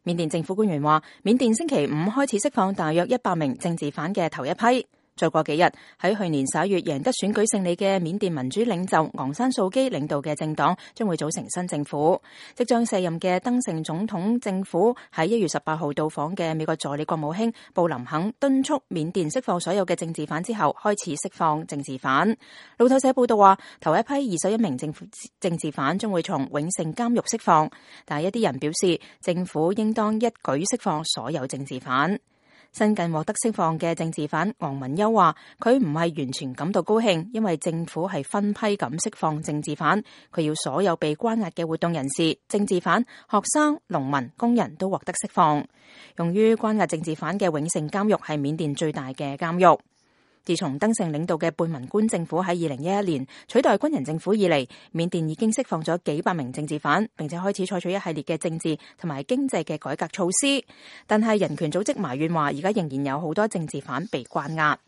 緬甸政府官員話，緬甸星期五開始釋放大約100名政治犯嘅頭一批。再過幾日，喺去年11月贏得選舉勝利嘅緬甸民主領袖昂山素基領導嘅政黨將會組成新政府。即將卸任嘅登盛總統政府喺1月18號到訪嘅美國助理國務卿布林肯敦促緬甸釋放所有嘅政治犯之後，開始釋放政治犯。路透社報道話，頭一批21名政治犯將會從永盛監獄釋放，但係一啲人表示政府應當一舉釋放所有政治犯。新近獲得釋放嘅政治犯昂文優話，佢唔係完全感到高興，因為政府係分批咁釋放政治犯，佢要所有被關押嘅活動人士、政治犯、學生、農民、工人都獲得釋放。用於關押政治犯嘅永盛監獄係緬甸最大嘅監獄。自從登盛領導嘅貝文官政府喺2011年取代軍人政府以嚟，緬甸已經釋放咗幾百名政治犯，並且開始採取一系列嘅政治同埋經濟嘅改革措施。但係人權組織埋怨話，而家仍然有好多政治犯被關押。